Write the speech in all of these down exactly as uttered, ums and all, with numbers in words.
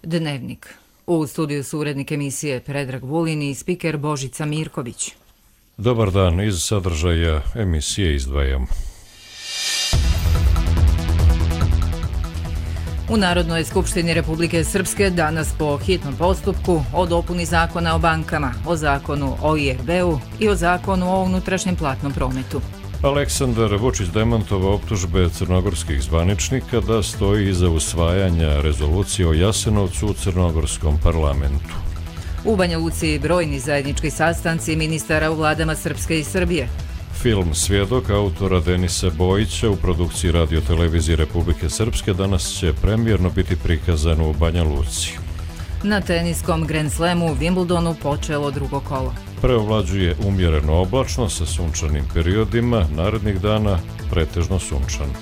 Dnevnik. U studiju su urednik emisije Predrag Vulin i spiker Božica Mirković. Dobar dan, iz sadržaja emisije izdvajamo. U Narodnoj skupštini Republike Srpske danas po hitnom postupku o dopuni zakona o bankama, o zakonu o I R B-u i o zakonu o unutrašnjem platnom prometu. Aleksandar Vučić demantovao optužbe crnogorskih zvaničnika da stoji iza usvajanja rezolucije o Jasenovcu u crnogorskom parlamentu. U Banja Luci brojni zajednički sastanci ministara u vladama Srpske i Srbije. Film Svjedok autora Denisa Bojića u produkciji Radio-televizije Republike Srpske danas će premijerno biti prikazan u Banja Luci. Na teniskom Grand Slamu u Wimbledonu počelo drugo kolo. Preovlađuje umjereno oblačno sa sunčanim periodima, narednih dana pretežno sunčano.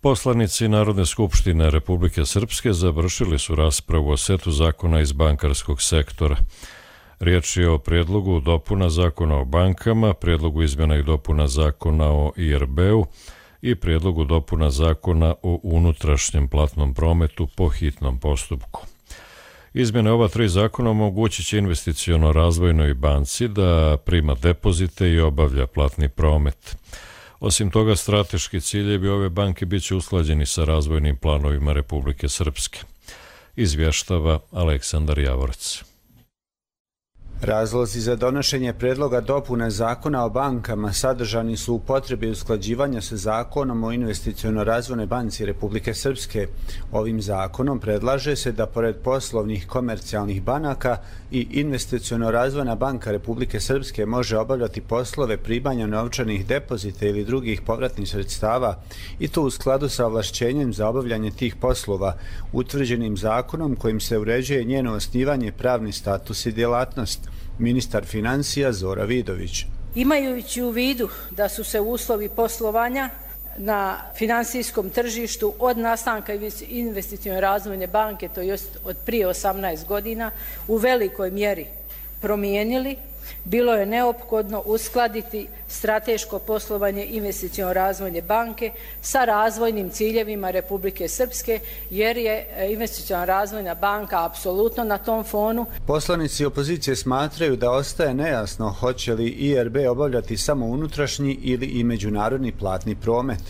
Poslanici Narodne skupštine Republike Srpske završili su raspravu o setu zakona iz bankarskog sektora. Riječ je o prijedlogu dopuna zakona o bankama, prijedlogu izmjena i dopuna zakona o I R B-u i prijedlogu dopuna zakona o unutrašnjem platnom prometu po hitnom postupku. Izmjene ova tri zakona omogućit će investiciono razvojnoj banci da prima depozite i obavlja platni promet. Osim toga, strateški ciljevi ove banke bit će usklađeni sa razvojnim planovima Republike Srpske. Izvještava Aleksandar Javorec. Razlozi za donošenje predloga dopune zakona o bankama sadržani su u potrebi usklađivanja sa zakonom o investiciono-razvojnoj banci Republike Srpske. Ovim zakonom predlaže se da pored poslovnih komercijalnih banaka i investiciono-razvojna banka Republike Srpske može obavljati poslove primanja novčanih depozita ili drugih povratnih sredstava i to u skladu sa ovlašćenjem za obavljanje tih poslova, utvrđenim zakonom kojim se uređuje njeno osnivanje, pravni status i djelatnost. Ministar financija Zora Vidović. Imajući u vidu da su se uslovi poslovanja na finansijskom tržištu od nastanka investicione razvojne banke, to jest od prije osamnaest godina, u velikoj mjeri promijenili, bilo je neophodno uskladiti strateško poslovanje investicione razvojne banke sa razvojnim ciljevima Republike Srpske, jer je investiciona razvojna banka apsolutno na tom fonu. Poslanici opozicije smatraju da ostaje nejasno hoće li I R B obavljati samo unutrašnji ili i međunarodni platni promet.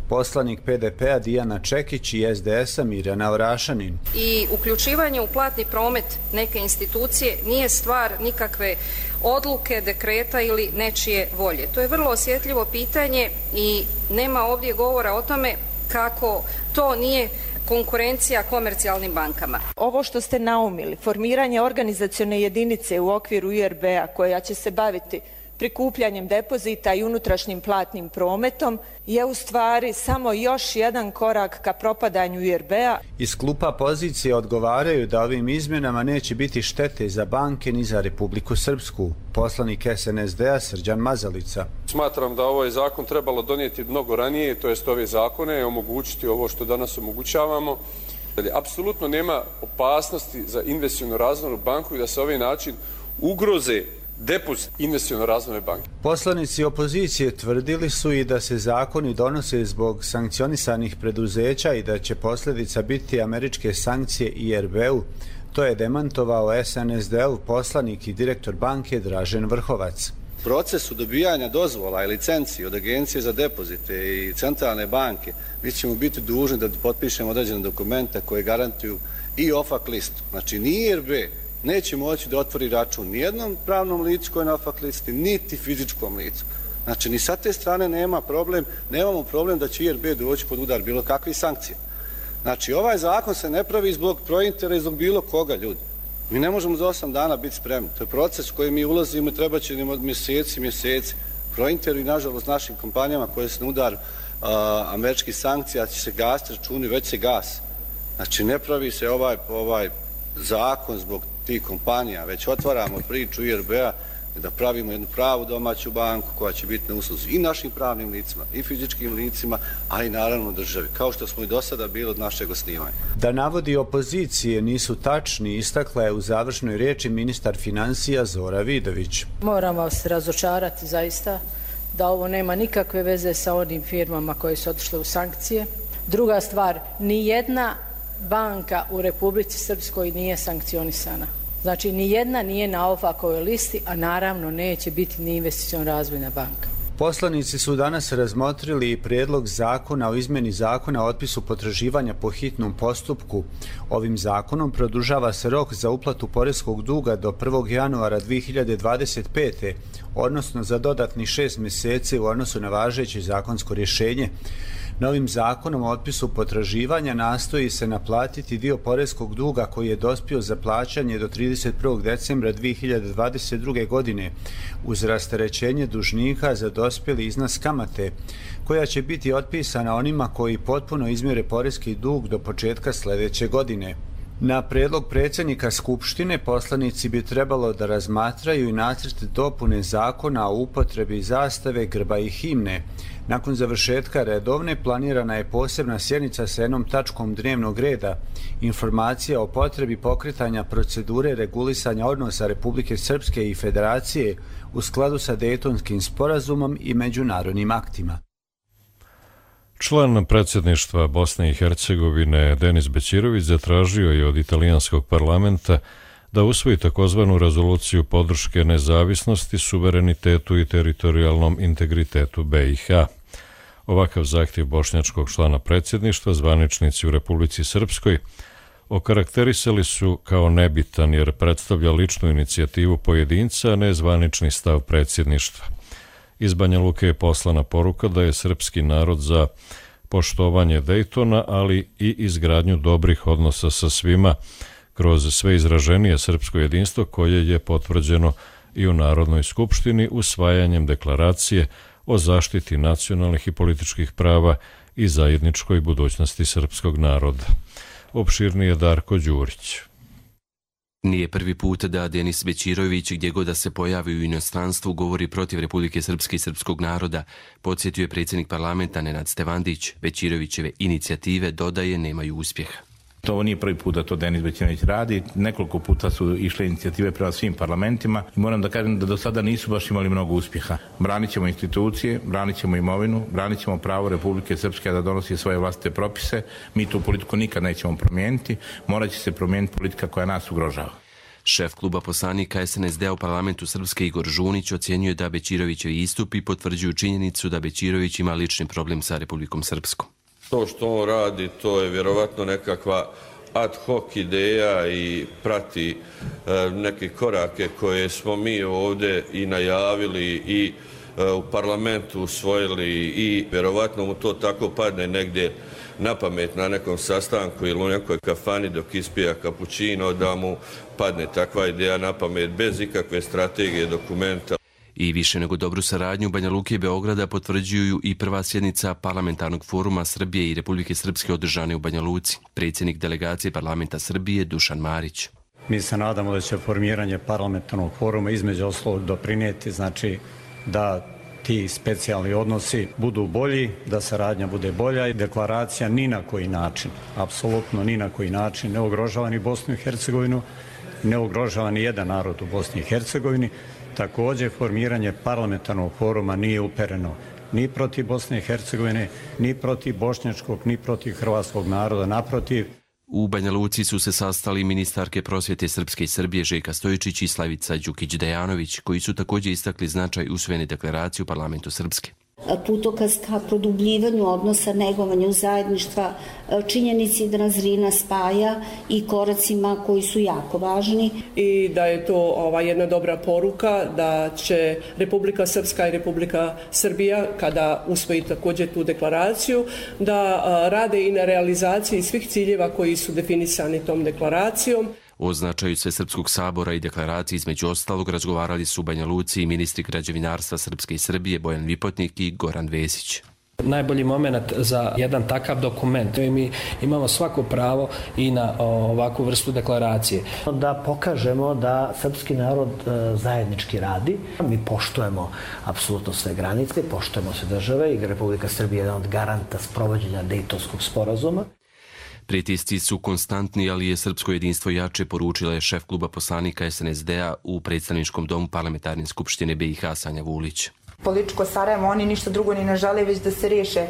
Poslanik P D P-a Dijana Čekić i S D S-a Mirjana Orašanin. I uključivanje u platni promet neke institucije nije stvar nikakve odluke, dekreta ili nečije volje. To je vrlo osjetljivo pitanje i nema ovdje govora o tome kako to nije konkurencija komercijalnim bankama. Ovo što ste naumili, formiranje organizacione jedinice u okviru I R B-a koja će se baviti prikupljanjem depozita i unutrašnjim platnim prometom je u stvari samo još jedan korak ka propadanju I R B-a. Iz klupa pozicije odgovaraju da ovim izmjenama neće biti štete za banke ni za Republiku Srpsku. Poslanik S N S D-a Srđan Mazalica. Smatram da ovaj zakon trebalo donijeti mnogo ranije, to jest ove zakone, i omogućiti ovo što danas omogućavamo. Apsolutno nema opasnosti za investicionu razvojnu banku i da se ovaj način ugroze depozit investicione razvojne banke. Poslanici opozicije tvrdili su i da se zakoni donose zbog sankcionisanih preduzeća i da će posljedica biti američke sankcije I R B-u. To je demantovao S N S D-ov poslanik i direktor banke Dražen Vrhovac. Procesu dobijanja dozvola i licenci od Agencije za depozite i Centralne banke mi ćemo biti dužni da potpišemo određene dokumente koje garantuju i O F A C listu. Znači ni I R B neće moći da otvori račun nijednom pravnom licu koje je na O F A C listi, niti fizičkom licu. Znači, ni sa te strane nema problem, nemamo problem da će I R B doći pod udar bilo kakvih sankcija. Znači, ovaj zakon se ne pravi zbog prointera i zbog bilo koga, ljudi. Mi ne možemo za osam dana biti spremni. To je proces u koji mi ulazimo i treba će nam od mjeseci, mjeseci. Prointeru i, nažalost, našim kompanijama koje se na udar uh, američkih sankcija će se gasiti računi, već se gas. Znači, ne pravi se ovaj, ovaj zakon zbog tih kompanija, već otvaramo priču I R B-a da pravimo jednu pravu domaću banku koja će biti na usluzi i našim pravnim licima i fizičkim licima, a i naravno državi, kao što smo i do sada bili od našeg osnivanja. Da navodi opozicije nisu tačni, istakla je u završnoj riječi ministar financija Zora Vidović. Moram vas razočarati zaista da ovo nema nikakve veze sa onim firmama koje su otišle u sankcije. Druga stvar, ni jedna banka u Republici Srpskoj nije sankcionisana. Znači, ni jedna nije na OFAC-ovoj listi, a naravno neće biti ni Investiciona razvojna banka. Poslanici su danas razmotrili i prijedlog zakona o izmjeni zakona o otpisu potraživanja po hitnom postupku. Ovim zakonom produžava se rok za uplatu poreskog duga do prvog januara dvije hiljade dvadeset pete. odnosno za dodatni šest mjeseci u odnosu na važeće zakonsko rješenje. Novim zakonom o otpisu potraživanja nastoji se naplatiti dio poreskog duga koji je dospio za plaćanje do trideset prvog decembra dvije hiljade dvadeset druge. godine uz rasterećenje dužnika za dospjeli iznos kamate, koja će biti otpisana onima koji potpuno izmjere poreski dug do početka sljedeće godine. Na prijedlog predsjednika Skupštine poslanici bi trebalo da razmatraju i nacrt dopune zakona o upotrebi zastave, grba i himne. Nakon završetka redovne planirana je posebna sjednica sa jednom tačkom dnevnog reda, informacija o potrebi pokretanja procedure regulisanja odnosa Republike Srpske i Federacije u skladu sa Dejtonskim sporazumom i međunarodnim aktima. Član predsjedništva Bosne i Hercegovine Denis Bećirović zatražio je od italijanskog parlamenta da usvoji takozvanu rezoluciju podrške nezavisnosti, suverenitetu i teritorijalnom integritetu be i ha. Ovakav zahtjev bošnjačkog člana predsjedništva zvaničnici u Republici Srpskoj okarakterisali su kao nebitan jer predstavlja ličnu inicijativu pojedinca, a ne zvanični stav predsjedništva. Iz Banja Luke je poslana poruka da je srpski narod za poštovanje Dejtona, ali i izgradnju dobrih odnosa sa svima kroz sve izraženije srpsko jedinstvo koje je potvrđeno i u Narodnoj skupštini usvajanjem deklaracije o zaštiti nacionalnih i političkih prava i zajedničkoj budućnosti srpskog naroda. Opširnije Darko Đurić. Nije prvi put da Denis Bećirović, gdje god da se pojavi u inostranstvu, govori protiv Republike Srpske i srpskog naroda. Podsjetio je predsjednik parlamenta Nenad Stevandić. Bećirovićeve inicijative, dodaje, nemaju uspjeha. To nije prvi put da to Denis Bećirović radi. Nekoliko puta su išle inicijative prema svim parlamentima i moram da kažem da do sada nisu baš imali mnogo uspjeha. Branit ćemo institucije, branit ćemo imovinu, branit ćemo pravo Republike Srpske da donosi svoje vlastite propise. Mi tu politiku nikad nećemo promijeniti. Morat će se promijeniti politika koja nas ugrožava. Šef kluba poslanika es en es de u parlamentu Srpske Igor Žunić ocjenjuje da Bećirovićevi istupi potvrđuju činjenicu da Bećirović ima lični problem sa Republikom Srpskom. To što on radi, to je vjerovatno nekakva ad hoc ideja i prati e, neke korake koje smo mi ovdje i najavili i e, u parlamentu usvojili i vjerovatno mu to tako padne negdje na pamet na nekom sastanku ili u nekoj kafani dok ispija kapućino, da mu padne takva ideja na pamet bez ikakve strategije, dokumenta. I više nego dobru saradnju Banja Luke i Beograda potvrđuju i prva sjednica Parlamentarnog foruma Srbije i Republike Srpske održane u Banja Luci. Predsjednik delegacije Parlamenta Srbije Dušan Marić. Mi se nadamo da će formiranje parlamentarnog foruma između ostalog doprinijeti, znači da ti specijalni odnosi budu bolji, da saradnja bude bolja i deklaracija ni na koji način, apsolutno ni na koji način ne ugrožava ni Bosnu i Hercegovinu, ne ugrožava ni jedan narod u Bosni i Hercegovini. Također, formiranje parlamentarnog foruma nije upereno ni protiv Bosne i Hercegovine, ni protiv bošnjačkog, ni protiv hrvatskog naroda, naprotiv. U Banja Luci su se sastali ministarke prosvjete Srpske i Srbije Željka Stojičić i Slavica Đukić-Dejanović, koji su također istakli značaj usvojene deklaracije u parlamentu Srpske. Putokaz ka produbljivanju odnosa, negovanju zajedništva, činjenici da nas Drina spaja i koracima koji su jako važni. I da je to ova, jedna dobra poruka da će Republika Srpska i Republika Srbija, kada usvoji također tu deklaraciju, da a, rade i na realizaciji svih ciljeva koji su definisani tom deklaracijom. O značaju Svesrpskog sabora i deklaraciji između ostalog razgovarali su u Banja Luci i ministri građevinarstva Srpske i Srbije Bojan Vipotnik i Goran Vesić. Najbolji moment za jedan takav dokument. Mi imamo svako pravo i na ovakvu vrstu deklaracije. Da pokažemo da srpski narod zajednički radi. Mi poštujemo apsolutno sve granice, poštujemo sve države i Republika Srbije je jedan od garanta sprovođenja Dejtonskog sporazuma. Pritisci su konstantni, ali je srpsko jedinstvo jače, poručila je šef kluba poslanika es en es de-a u predstavničkom domu Parlamentarne skupštine be i ha Sanja Vulić. Političko Sarajevo, oni ništa drugo ni ne žele, već da se riješe e,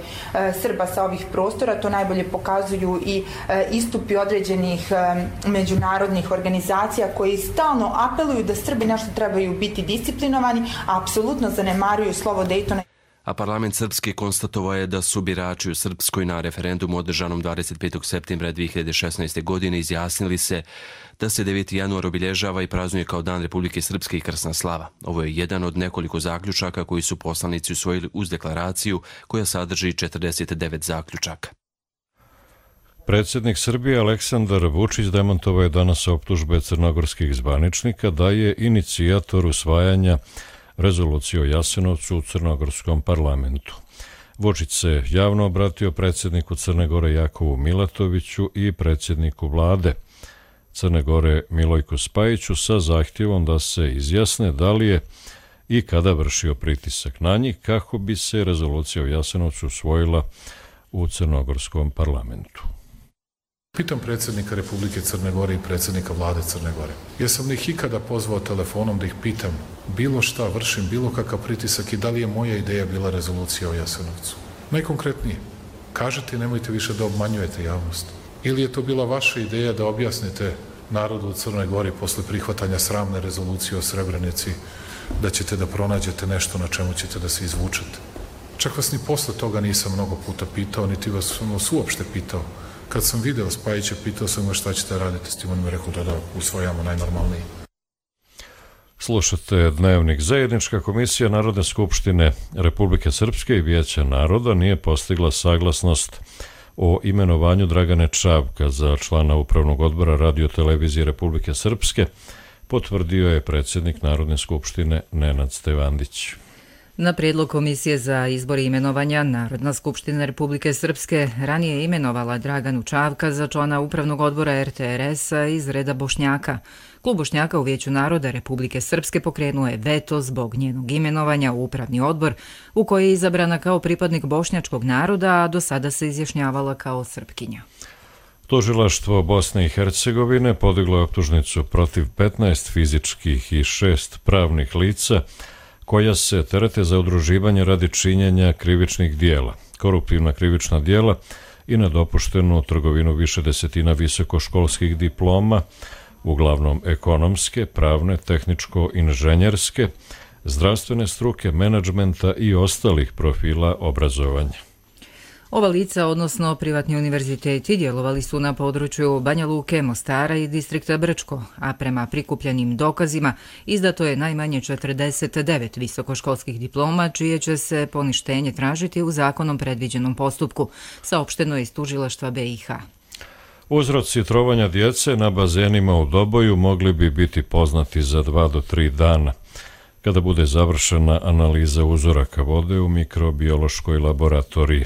Srba sa ovih prostora. To najbolje pokazuju i e, istupi određenih e, međunarodnih organizacija koji stalno apeluju da Srbi nešto trebaju biti disciplinovani, a apsolutno zanemaruju slovo Dejtona. A parlament Srpske konstatovao je da su birači u Srpskoj na referendumu održanom dvadeset petog septembra dvije hiljade šesnaeste. godine izjasnili se da se deveti januar obilježava i praznuje kao Dan Republike Srpske i krsna slava. Ovo je jedan od nekoliko zaključaka koji su poslanici usvojili uz deklaraciju koja sadrži četrdeset devet zaključaka. Predsjednik Srbije Aleksandar Vučić demantovao je danas optužbe crnogorskih zvaničnika da je inicijator usvajanja rezolucije o Jasenovcu u crnogorskom parlamentu. Vučić se javno obratio predsjedniku Crne Gore Jakovu Milatoviću i predsjedniku vlade Crne Gore Milojku Spajiću sa zahtjevom da se izjasne da li je i kada vršio pritisak na njih kako bi se rezolucija o Jasenovcu usvojila u crnogorskom parlamentu. Pitam predsjednika Republike Crne Gore i predsjednika vlade Crne Gore. Jesam li ih ikada pozvao telefonom da ih pitam bilo šta, vršim bilo kakav pritisak i da li je moja ideja bila rezolucija o Jasenovcu? Najkonkretnije, kažete i nemojte više da obmanjujete javnost. Ili je to bila vaša ideja da objasnite narodu u Crnoj Gori posle prihvatanja sramne rezolucije o Srebrenici da ćete da pronađete nešto na čemu ćete da se izvučete? Čak vas ni posle toga nisam mnogo puta pitao, niti vas sam uopšte pitao. Kad sam video Spajića, pitao sam ga šta ćete raditi s tim, on mi rekao da da usvojamo najnormalniji. Slušate Dnevnik. Zajednička komisija Narodne skupštine Republike Srpske i Vijeća naroda nije postigla saglasnost o imenovanju Dragane Čavka za člana Upravnog odbora Radio-televizije Republike Srpske, potvrdio je predsjednik Narodne skupštine Nenad Stevandić. Na prijedlog Komisije za izbor i imenovanja Narodna skupština Republike Srpske ranije je imenovala Draganu Čavka za člana Upravnog odbora er te er es-a iz reda Bošnjaka. Klub Bošnjaka u Vijeću naroda Republike Srpske pokrenuo je veto zbog njenog imenovanja u Upravni odbor, u koji je izabrana kao pripadnik bošnjačkog naroda, a do sada se izjašnjavala kao Srpkinja. Tužilaštvo Bosne i Hercegovine podiglo je optužnicu protiv petnaest fizičkih i šest pravnih lica koja se terete za udruživanje radi činjenja krivičnih dijela, koruptivna krivična dijela i nedopuštenu trgovinu više desetina visokoškolskih diploma, uglavnom ekonomske, pravne, tehničko-inženjerske, zdravstvene struke, menadžmenta i ostalih profila obrazovanja. Ova lica, odnosno privatni univerziteti, djelovali su na području Banja Luke, Mostara i distrikta Brčko, a prema prikupljenim dokazima izdato je najmanje četrdeset devet visokoškolskih diploma, čije će se poništenje tražiti u zakonom predviđenom postupku, saopšteno je iz tužilaštva be i ha. Uzroci trovanja djece na bazenima u Doboju mogli bi biti poznati za dva do tri dana, kada bude završena analiza uzoraka vode u mikrobiološkoj laboratoriji.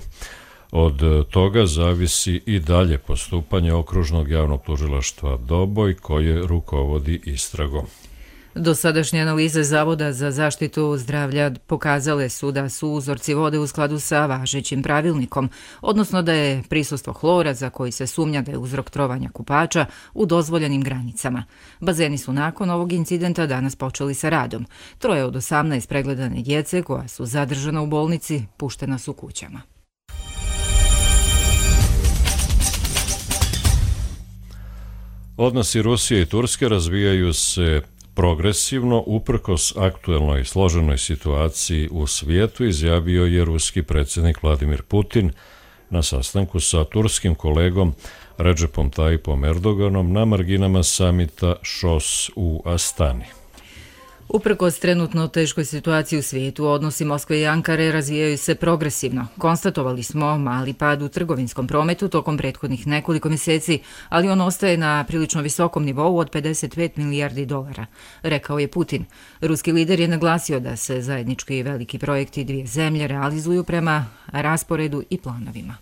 Od toga zavisi i dalje postupanje Okružnog javnog tužilaštva Doboj, koje rukovodi istragom. Dosadašnje analize Zavoda za zaštitu zdravlja pokazale su da su uzorci vode u skladu sa važećim pravilnikom, odnosno da je prisustvo hlora, za koji se sumnja da je uzrok trovanja kupača, u dozvoljenim granicama. Bazeni su nakon ovog incidenta danas počeli sa radom. Troje od osamnaest pregledane djece koja su zadržana u bolnici puštena su kućama. Odnosi Rusije i Turske razvijaju se progresivno uprkos aktuelnoj složenoj situaciji u svijetu, izjavio je ruski predsjednik Vladimir Putin na sastanku sa turskim kolegom Redžepom Tajipom Erdoganom na marginama samita ŠOS u Astani. Uprkos trenutno teškoj situaciji u svijetu, odnosi Moskve i Ankare razvijaju se progresivno. Konstatovali smo mali pad u trgovinskom prometu tokom prethodnih nekoliko mjeseci, ali on ostaje na prilično visokom nivou od pedeset pet milijardi dolara, rekao je Putin. Ruski lider je naglasio da se zajednički i veliki projekti dvije zemlje realizuju prema rasporedu i planovima.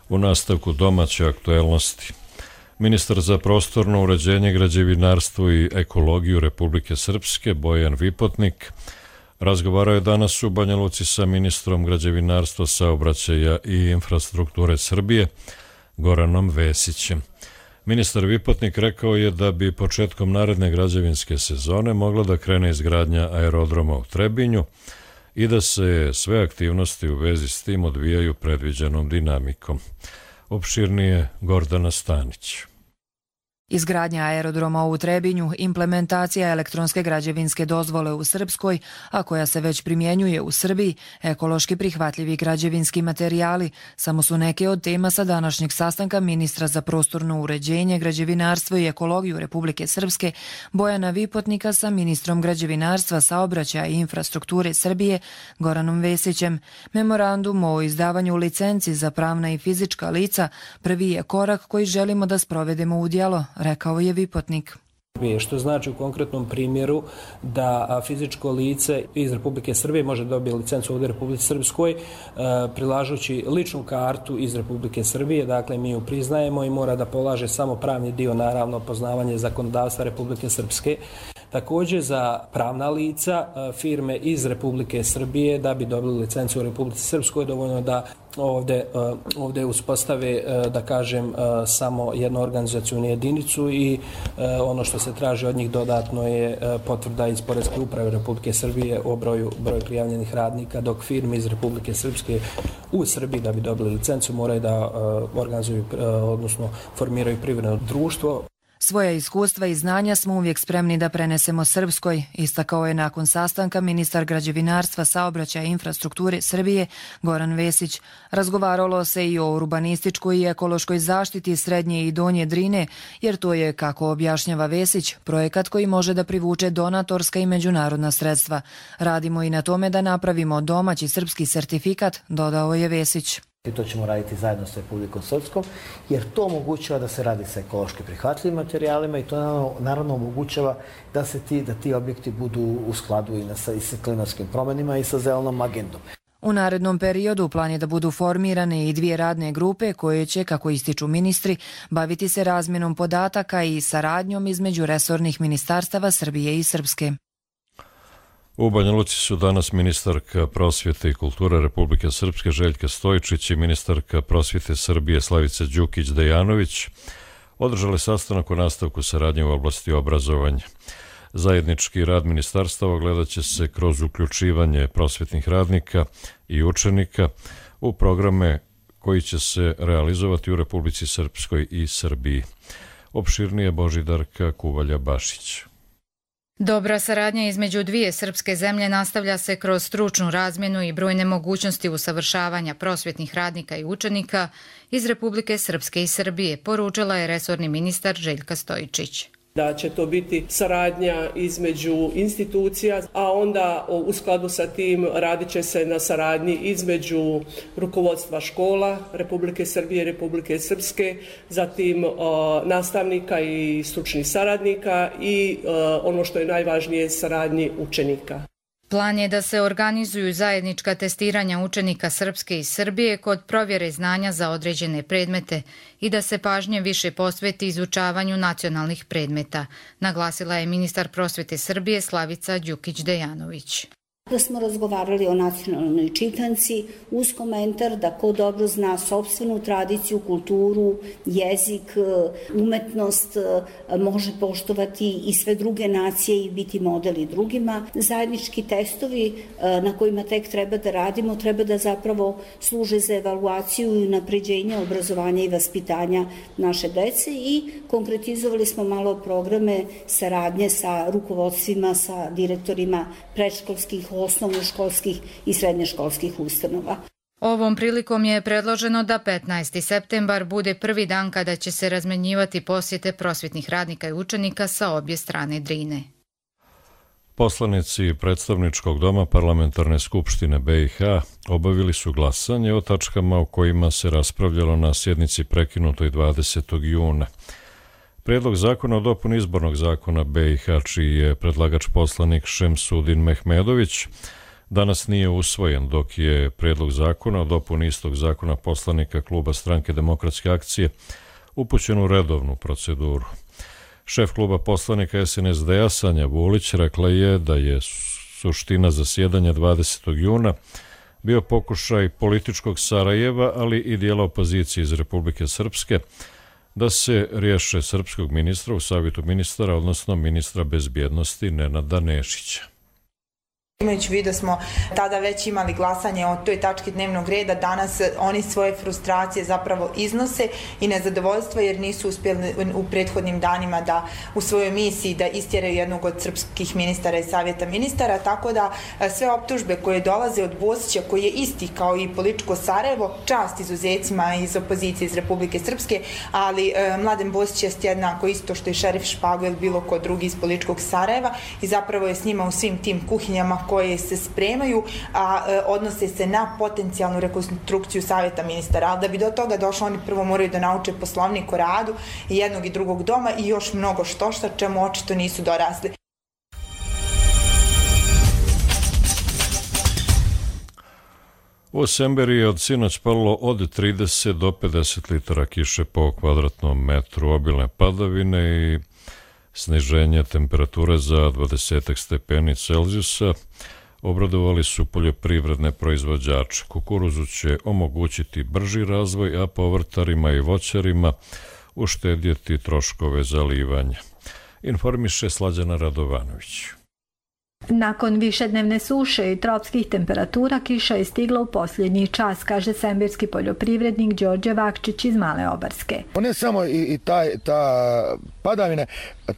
U nastavku domaće aktuelnosti. Ministar za prostorno uređenje, građevinarstvo i ekologiju Republike Srpske, Bojan Vipotnik, razgovarao je danas u Banja Luci sa ministrom građevinarstva, saobraćaja i infrastrukture Srbije, Goranom Vesićem. Ministar Vipotnik rekao je da bi početkom naredne građevinske sezone mogla da krene izgradnja aerodroma u Trebinju i da se sve aktivnosti u vezi s tim odvijaju predviđenom dinamikom. Opširnije Gordana Stanić. Izgradnja aerodroma u Trebinju, implementacija elektronske građevinske dozvole u Srpskoj, a koja se već primjenjuje u Srbiji, ekološki prihvatljivi građevinski materijali, samo su neke od tema sa današnjeg sastanka ministra za prostorno uređenje, građevinarstvo i ekologiju Republike Srpske Bojana Vipotnika sa ministrom građevinarstva, saobraćaja i infrastrukture Srbije Goranom Vesićem. Memorandum o izdavanju licenci za pravna i fizička lica prvi je korak koji želimo da sprovedemo u djelo, rekao je Vipotnik. Što znači u konkretnom primjeru da fizičko lice iz Republike Srbije može dobiti licencu ovdje u Republici Srpskoj prilažući ličnu kartu iz Republike Srbije, dakle mi ju priznajemo i mora da polaže samo pravni dio, naravno poznavanje zakonodavstva Republike Srpske. Također za pravna lica, firme iz Republike Srbije da bi dobili licencu u Republici Srpskoj dovoljno da ovdje, ovdje uspostave, da kažem, samo jednu organizacijnu jedinicu i ono što se traži od njih dodatno je potvrda iz Poreske uprave Republike Srbije o broju, broju prijavljenih radnika, dok firme iz Republike Srpske u Srbiji da bi dobili licencu moraju da organizuju, odnosno formiraju privredno društvo. Svoja iskustva i znanja smo uvijek spremni da prenesemo Srpskoj, istakao je nakon sastanka ministar građevinarstva, saobraćaja i infrastrukture Srbije Goran Vesić. Razgovaralo se i o urbanističkoj i ekološkoj zaštiti Srednje i Donje Drine, jer to je, kako objašnjava Vesić, projekat koji može da privuče donatorska i međunarodna sredstva. Radimo i na tome da napravimo domaći srpski sertifikat, dodao je Vesić. I to ćemo raditi zajedno s Republikom Srpskom, jer to omogućava da se radi sa ekološki prihvatljivim materijalima i to naravno, naravno omogućava da se ti, da ti objekti budu u skladu i, na, i sa klimatskim promjenima i sa zelenom agendom. U narednom periodu plan je da budu formirane i dvije radne grupe koje će, kako ističu ministri, baviti se razmjenom podataka i saradnjom između resornih ministarstava Srbije i Srpske. U Banja Luci su danas ministarka prosvjete i kulture Republike Srpske Željka Stojičić i ministarka prosvjete Srbije Slavica Đukić-Dejanović održali sastanak o nastavku saradnje u oblasti obrazovanja. Zajednički rad ministarstava gledat će se kroz uključivanje prosvjetnih radnika i učenika u programe koji će se realizovati u Republici Srpskoj i Srbiji. Opširnije Božidarka Kuvalja-Bašić. Dobra saradnja između dvije srpske zemlje nastavlja se kroz stručnu razmjenu i brojne mogućnosti usavršavanja prosvjetnih radnika i učenika iz Republike Srpske i Srbije, poručila je resorni ministar Željka Stojičić. Da će to biti saradnja između institucija, a onda u skladu sa tim radit će se na saradnji između rukovodstva škola Republike Srbije i Republike Srpske, zatim o, nastavnika i stručnih saradnika i o, ono što je najvažnije, saradnji učenika. Plan je da se organizuju zajednička testiranja učenika Srpske i Srbije kod provjere znanja za određene predmete i da se pažnje više posveti izučavanju nacionalnih predmeta, naglasila je ministar prosvjete Srbije Slavica Đukić-Dejanović. Da smo razgovarali o nacionalnoj čitanci uz komentar da ko dobro zna sopstvenu tradiciju, kulturu, jezik, umetnost, može poštovati i sve druge nacije i biti model i drugima. Zajednički testovi na kojima tek treba da radimo treba da zapravo služe za evaluaciju i napređenje obrazovanja i vaspitanja naše dece i konkretizovali smo malo programe saradnje sa rukovodstvima, sa direktorima predškolskih, osnovnoškolskih i srednjoškolskih ustanova. Ovom prilikom je predloženo da petnaesti septembar bude prvi dan kada će se razmenjivati posjete prosvjetnih radnika i učenika sa obje strane Drine. Poslanici predstavničkog doma Parlamentarne skupštine be i ha obavili su glasanje o tačkama o kojima se raspravljalo na sjednici prekinutoj dvadesetog juna. Prijedlog zakona o dopuni izbornog zakona be i ha, čiji je predlagač poslanik Šemsudin Mehmedović, danas nije usvojen, dok je prijedlog zakona o dopuni istog zakona poslanika kluba Stranke demokratske akcije upućen u redovnu proceduru. Šef kluba poslanika es en es de a Sanja Vulić rekla je da je suština zasjedanja dvadesetog juna bio pokušaj političkog Sarajeva, ali i dijela opozicije iz Republike Srpske, da se riješe srpskog ministra u savjetu ministara, odnosno ministra bezbjednosti Nenada Nešića. Imajući u vidu da smo tada već imali glasanje o toj tački dnevnog reda, danas oni svoje frustracije zapravo iznose i nezadovoljstvo jer nisu uspjeli u prethodnim danima da u svojoj misiji da istjeraju jednog od srpskih ministara i savjeta ministara, tako da sve optužbe koje dolaze od Bosića, koji je isti kao i političko Sarajevo, čast izuzecima iz opozicije iz Republike Srpske, ali e, Mladen Bosić je jednako isto što i šerif Špago ili bilo ko drugi iz političkog Sarajeva i zapravo je s njima u svim tim kuhinjama koje se spremaju, a e, odnose se na potencijalnu rekonstrukciju savjeta ministara. Ali da bi do toga došlo, oni prvo moraju da nauče poslovnik o radu i jednog i drugog doma i još mnogo što šta, čemu očito nisu dorasli. U Semberiji je od sinoć palo od trideset do pedeset litara kiše po kvadratnom metru, obilne padavine i sniženje temperature za dvadeset stepeni Celzijusa. Obradovali su poljoprivredne proizvođače. Kukuruzu će omogućiti brži razvoj, a povrtarima i voćarima uštedjeti troškove zalivanja. Informiše Slađana Radovanović. Nakon višednevne suše i tropskih temperatura, kiša je stigla u posljednji čas, kaže semberski poljoprivrednik Đorđe Vakčić iz Male Obarske. Ne samo i, i ta, ta padavine,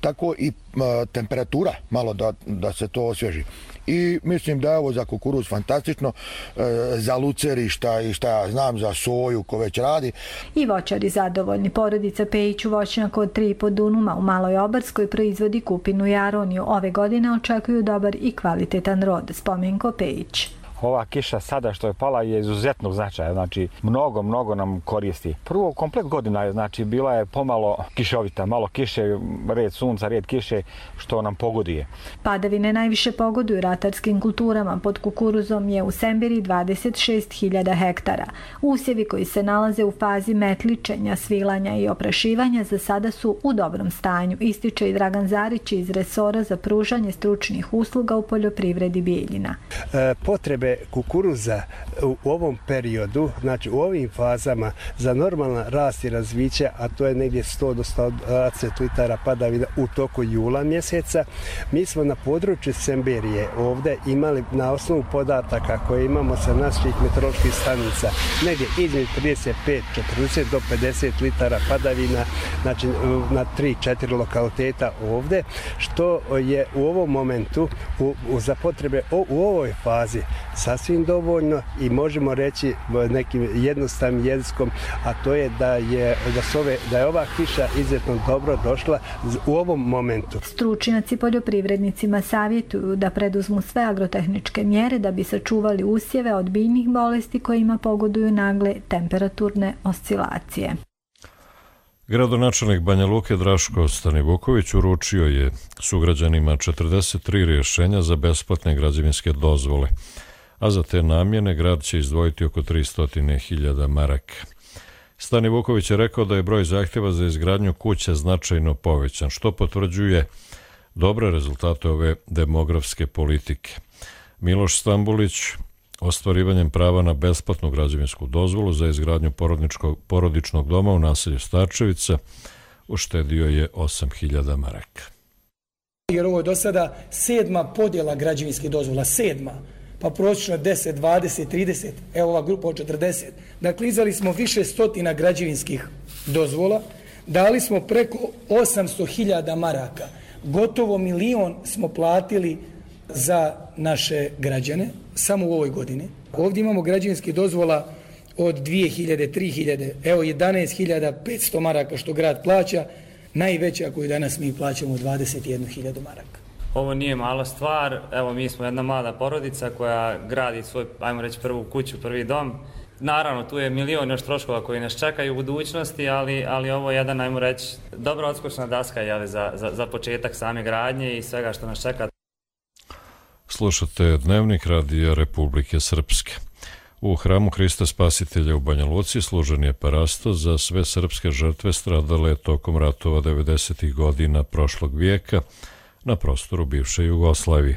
tako i a, temperatura malo da, da se to osvježi. I mislim da je ovo za kukuruz fantastično, e, za lucerišta i šta ja znam, za soju ko već radi. I voćari zadovoljni. Porodica Pejić u voćnjaku od tri i po dunuma u Maloj Obarskoj proizvodi kupinu i aroniju. Ove godine očekuju dobar i kvalitetan rod. Spomenko Pejić. Ova kiša sada što je pala je izuzetnog značaja, znači mnogo, mnogo nam koristi. Prvo, komplet godina je, znači bila je pomalo kišovita, malo kiše, red sunca, red kiše, što nam pogoduje. Padavine najviše pogoduju ratarskim kulturama. Pod kukuruzom je u Semberi dvadeset šest hiljada hektara. Usjevi koji se nalaze u fazi metličenja, svilanja i oprašivanja za sada su u dobrom stanju, ističe i Dragan Zarić iz resora za pružanje stručnih usluga u poljoprivredi Bijeljina. E, potrebe kukuruza u ovom periodu, znači u ovim fazama za normalan rast i razviće, a to je negdje sto do sto dvadeset litara padavina u toku jula mjeseca. Mi smo na području Semberije ovdje imali na osnovu podataka koje imamo sa naših meteoroloških stanica negdje između trideset pet četrdeset do pedeset litara padavina, znači na tri četiri lokaliteta ovdje, što je u ovom momentu u, u, za potrebe o, u ovoj fazi sasvim dovoljno i možemo reći nekim jednostavnim jezikom, a to je da je, da, su ove, da je ova kiša izuzetno dobro došla u ovom momentu. Stručnjaci poljoprivrednicima savjetuju da preduzmu sve agrotehničke mjere da bi sačuvali usjeve od biljnih bolesti kojima pogoduju nagle temperaturne oscilacije. Gradonačelnik Banja Luke Draško Stanivuković uručio je sugrađanima četrdeset tri rješenja za besplatne građevinske dozvole, a za te namjene grad će izdvojiti oko tristo hiljada maraka. Stanivuković je rekao da je broj zahtjeva za izgradnju kuća značajno povećan, što potvrđuje dobre rezultate ove demografske politike. Miloš Stambulić ostvarivanjem prava na besplatnu građevinsku dozvolu za izgradnju porodičnog doma u naselju Starčevica uštedio je osam hiljada maraka. Jer ovo je do sada sedma podjela građevinskih dozvola, sedma, pa prosječno deset, dvadeset, trideset, evo ova grupa od četrdeset. Dakle, izdali smo više stotina građevinskih dozvola, dali smo preko osamsto hiljada maraka, gotovo milion smo platili za naše građane samo u ovoj godini. Ovdje imamo građevinskih dozvola od dvije hiljade, tri hiljade, evo jedanaest hiljada petsto maraka što grad plaća, najveća koju danas mi plaćamo dvadeset jednu hiljadu maraka. Ovo nije mala stvar, evo mi smo jedna mlada porodica koja gradi svoj, ajmo reći, prvu kuću, prvi dom. Naravno, tu je milion još troškova koji nas čekaju u budućnosti, ali, ali ovo je jedan, ajmo reći, dobra odskočna daska jeli, za, za, za početak same gradnje i svega što nas čeka. Slušate Dnevnik Radija Republike Srpske. U hramu Hrista Spasitelja u Banja Luci služen je parasto za sve srpske žrtve stradale tokom ratova devedesetih godina prošlog vijeka na prostoru bivše Jugoslavije.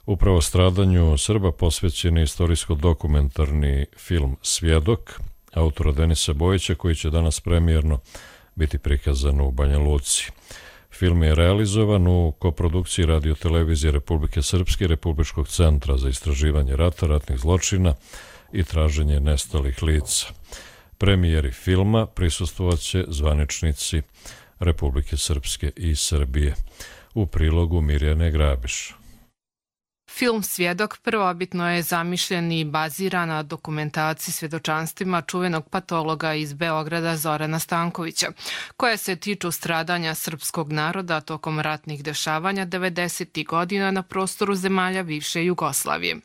Upravo stradanju Srba posvećen je istorijsko-dokumentarni film Svjedok autora Denisa Bojića, koji će danas premijerno biti prikazan u Banja Luci. Film je realizovan u koprodukciji Radio-televizije Republike Srpske i Republičkog centra za istraživanje rata, ratnih zločina i traženje nestalih lica. Premijeri filma prisustvovaće zvaničnici Republike Srpske i Srbije. U prilogu Mirjane Grabiš. Film Svjedok prvobitno je zamišljen i baziran na dokumentaciji svjedočanstvima čuvenog patologa iz Beograda Zorana Stankovića, koje se tiču stradanja srpskog naroda tokom ratnih dešavanja devedesetih godina na prostoru zemalja bivše Jugoslavije.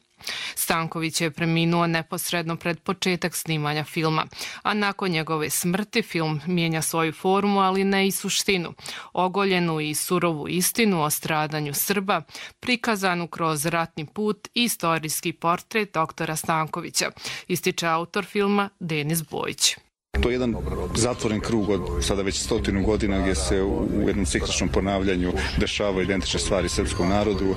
Stanković je preminuo neposredno pred početak snimanja filma, a nakon njegove smrti film mijenja svoju formu, ali ne i suštinu, ogoljenu i surovu istinu o stradanju Srba, prikazanu kroz ratni put i istorijski portret doktora Stankovića, ističe autor filma Denis Bojić. To je jedan zatvoren krug od sada već stotinu godina gdje se u jednom cikličnom ponavljanju dešavaju identične stvari srpskom narodu.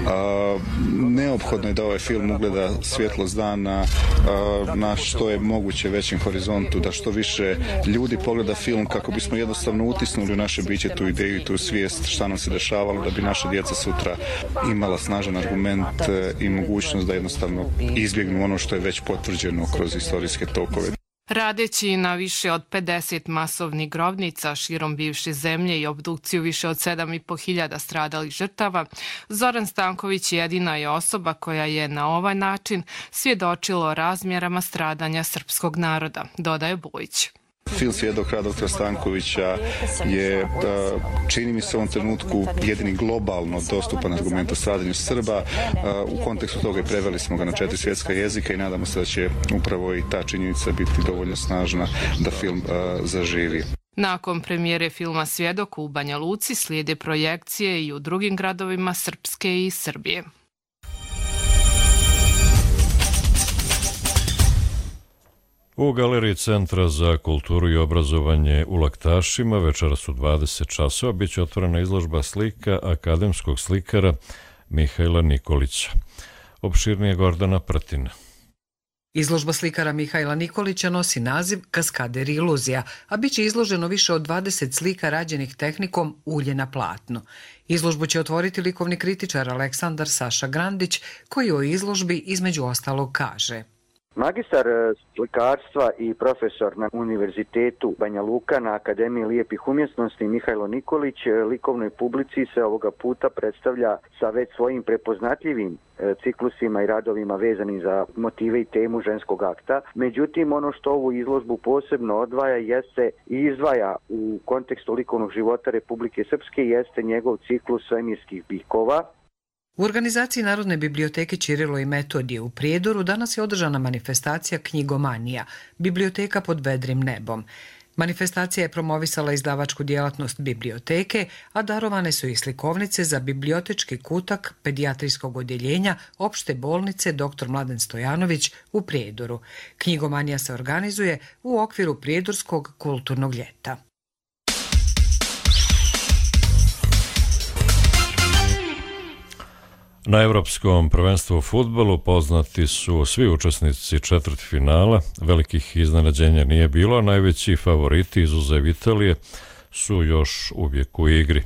A, neophodno je da ovaj film ugleda svjetlost dana a, na što je moguće većem horizontu, da što više ljudi pogleda film kako bismo jednostavno utisnuli u naše biće tu ideju i tu svijest šta nam se dešavalo, da bi naša djeca sutra imala snažan argument i mogućnost da jednostavno izbjegnu ono što je već potvrđeno kroz istorijske tokove. Radeći na više od pedeset masovnih grobnica širom bivše zemlje i obdukciju više od sedam i po hiljada stradalih žrtava, Zoran Stanković jedina je osoba koja je na ovaj način svjedočila o razmjerama stradanja srpskog naroda, dodaje Bojić. Film Svjedok doktora Stankovića je, čini mi se u ovom trenutku, jedini globalno dostupan argument o stradanju Srba. U kontekstu toga preveli smo ga na četiri svjetska jezika i nadamo se da će upravo i ta činjenica biti dovoljno snažna da film zaživi. Nakon premijere filma Svjedok u Banja Luci slijede projekcije i u drugim gradovima Srpske i Srbije. U Galeriji Centra za kulturu i obrazovanje u Laktašima večeras u dvadeset časova bit će otvorena izložba slika akademskog slikara Mihajla Nikolića. Opširnije Gordana Prtina. Izložba slikara Mihajla Nikolića nosi naziv Kaskader i iluzija, a bit će izloženo više od dvadeset slika rađenih tehnikom ulje na platnu. Izložbu će otvoriti likovni kritičar Aleksandar Saša Grandić, koji o izložbi između ostalog kaže: Magistar slikarstva i profesor na Univerzitetu Banja Luka na Akademiji lijepih umjetnosti Mihajlo Nikolić likovnoj publici se ovoga puta predstavlja sa već svojim prepoznatljivim ciklusima i radovima vezanim za motive i temu ženskog akta. Međutim, ono što ovu izložbu posebno odvaja jeste i izdvaja u kontekstu likovnog života Republike Srpske jeste njegov ciklus svemirskih bikova. U organizaciji Narodne biblioteke Ćirilo i Metodije u Prijedoru danas je održana manifestacija Knjigomanija, biblioteka pod vedrim nebom. Manifestacija je promovisala izdavačku djelatnost biblioteke, a darovane su i slikovnice za bibliotečki kutak pedijatrijskog odjeljenja opšte bolnice doktor Mladen Stojanović u Prijedoru. Knjigomanija se organizuje u okviru Prijedorskog kulturnog ljeta. Na Evropskom prvenstvu u fudbalu poznati su svi učesnici četvrtfinala. Velikih iznenađenja nije bilo, a najveći favoriti izuzev Italije su još uvijek u igri.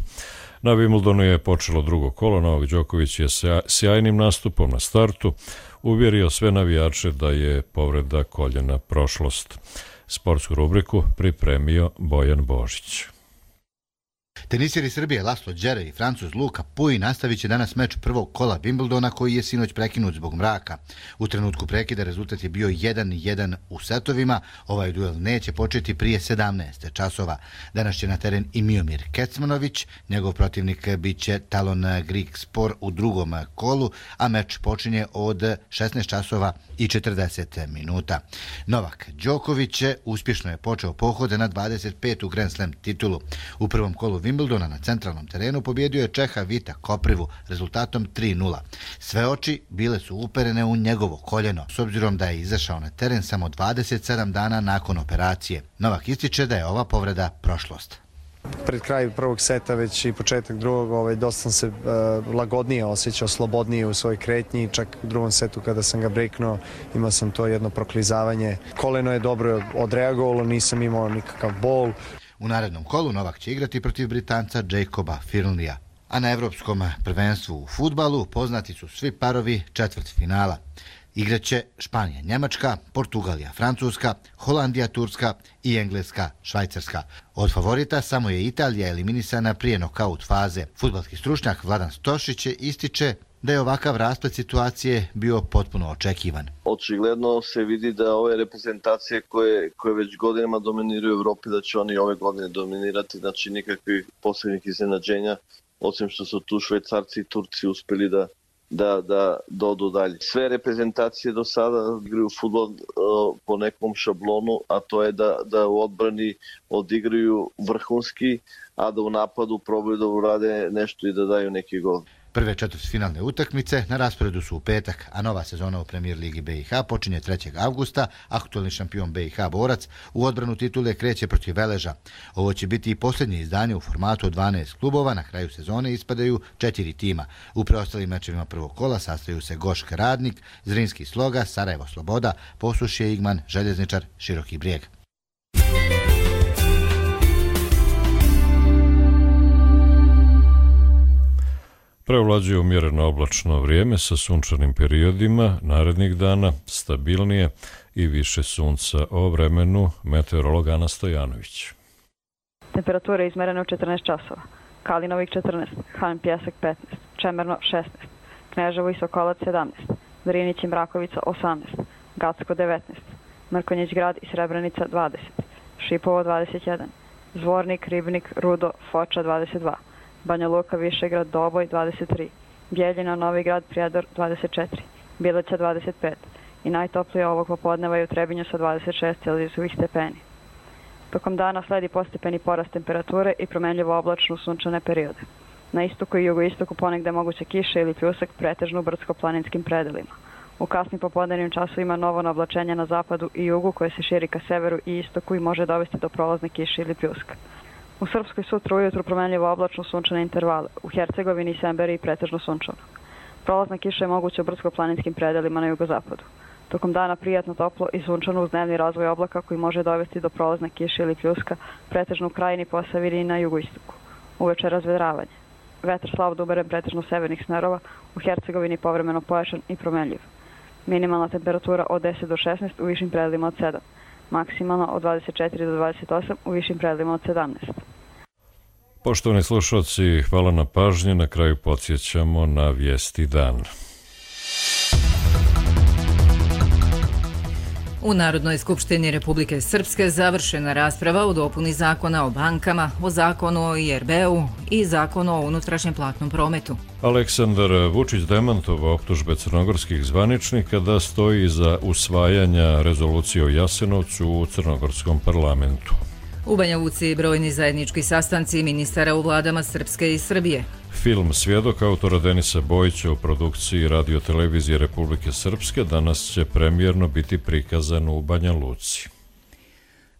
Na Wimbledonu je počelo drugo kolo. Novak Đoković je sjajnim nastupom na startu uvjerio sve navijače da je povreda koljena prošlost. Sportsku rubriku pripremio Bojan Božić. Teniseri Srbije Laslo Đere i Francuz Luka Puj nastavit će danas meč prvog kola Wimbledona koji je sinoć prekinut zbog mraka. U trenutku prekida rezultat je bio jedan jedan u setovima. Ovaj duel neće početi prije sedamnaest časova. Danas će na teren i Miomir Kecmanović. Njegov protivnik bit će Talon Grigspor u drugom kolu, a meč počinje od šesnaest časova i četrdeset minuta. Novak Đoković uspješno je počeo pohode na dvadeset petu Grand Slam titulu. U prvom kolu Wimbledona na centralnom terenu pobjedio je Čeha Vita Koprivu rezultatom tri nula. Sve oči bile su uperene u njegovo koljeno, s obzirom da je izašao na teren samo dvadeset sedam dana nakon operacije. Novak ističe da je ova povreda prošlost. Pred kraj prvog seta, već i početak drugog, ovaj, dosta sam se uh, lagodnije osjećao, slobodnije u svojoj kretnji. Čak u drugom setu kada sam ga breknuo, imao sam to jedno proklizavanje. Koleno je dobro odreagovalo, nisam imao nikakav bol. U narednom kolu Novak će igrati protiv Britanca Jacoba Firnlija. A na evropskom prvenstvu u fudbalu poznati su svi parovi četvrtfinala. Igraće Španija, Njemačka, Portugalija, Francuska, Holandija, Turska i Engleska, Švajcarska. Od favorita samo je Italija eliminisana prije nokaut faze. Fudbalski stručnjak Vladan Stošić ističe da je ovakav rasplet situacije bio potpuno očekivan. Očigledno se vidi da ove reprezentacije koje, koje već godinama dominiraju u Evropi, da će oni ove godine dominirati, znači nikakvih posebnih iznenađenja, osim što su tu Švajcarci i Turci uspeli da da, da dodu dalje. Sve reprezentacije do sada igraju fudbal uh, po nekom šablonu, a to je da, da u odbrani odigraju vrhunski, a da u napadu probaju da urade nešto i da daju neki gol. Prve četvrtfinalne utakmice na rasporedu su u petak, a nova sezona u Premier Ligi B i H počinje trećeg avgusta. Aktualni šampion B i H Borac u odbranu titule kreće protiv Veleža. Ovo će biti i posljednje izdanje u formatu od dvanaest klubova. Na kraju sezone ispadaju četiri tima. U preostalim mečevima prvog kola sastaju se Gošk Radnik, Zrinski Sloga, Sarajevo Sloboda, Posušje Igman, Željezničar, Široki Brijeg. Prevlađuje umjereno oblačno vrijeme sa sunčanim periodima, narednih dana stabilnije i više sunca. O vremenu meteorolog Ana Stojanović. Temperatura je izmerena u četrnaest časova. Kalinovik četrnaest, Han Pjesak petnaest, Čemerno šesnaest, Kneževo i Sokolac sedamnaest, Drinić i Mrakovica osamnaest, Gacko devetnaest, Mrkonjić grad i Srebrenica dvadeset, Šipovo dvadeset jedan, Zvornik, Ribnik, Rudo, Foča dvadeset dva, Banja Luka, Višegrad, Doboj dvadeset tri, Bjeljina, Novi grad, Prijedor dvadeset četiri, Bileća dvadeset pet i najtoplije ovog popodneva je u Trebinju sa dvadeset šest Celzijusovih stepeni. Tokom dana sledi postepeni porast temperature i promenljivo oblačno sunčane periode. Na istoku i jugoistoku ponegde moguće kiše ili pljusak, pretežno u brdsko-planinskim predelima. U kasnim popodnevnim časovima novo naoblačenje na zapadu i jugu koje se širi ka severu i istoku i može dovesti do prolazne kiše ili pljuska. U Srpskoj sutra ujutru promenljivo oblačno sunčane intervale, u Hercegovini i Semberiji pretežno sunčano. Prolazna kiša je moguća u brdsko-planinskim predelima na jugozapadu. Tokom dana prijatno toplo i sunčano uz dnevni razvoj oblaka koji može dovesti do prolazne kiše ili pljuska, pretežno u Krajini, Posavini i na jugoistoku. Uveče razvedravanje. Vetar slab do umeren pretežno severnih smerova, u Hercegovini povremeno pojačan i promenljiv. Minimalna temperatura od deset do šesnaest, u višim predelima od sedam. Maksimalno od dvadeset četiri do dvadeset osam, u višim predelima od sedamnaest. Poštovani slušalci, hvala na pažnji. Na kraju podsjećamo na vijesti dan. U Narodnoj skupštini Republike Srpske završena rasprava o dopuni zakona o bankama, o zakonu o I R B-u i zakonu o unutrašnjem platnom prometu. Aleksandar Vučić demantovao optužbe crnogorskih zvaničnika da stoji iza usvajanja rezolucije o Jasenovcu u crnogorskom parlamentu. U Banja Luci brojni zajednički sastanci ministara u vladama Srpske i Srbije. Film Svjedok autora Denisa Bojića u produkciji Radio-televizije Republike Srpske danas će premijerno biti prikazan u Banja Luci.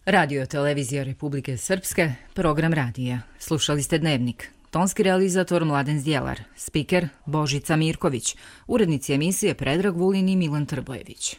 Radio-televizija Republike Srpske, program radija. Slušali ste Dnevnik. Tonski realizator Mladen Zdjelar, spiker Božica Mirković, urednici emisije Predrag Vulin i Milan Trbojević.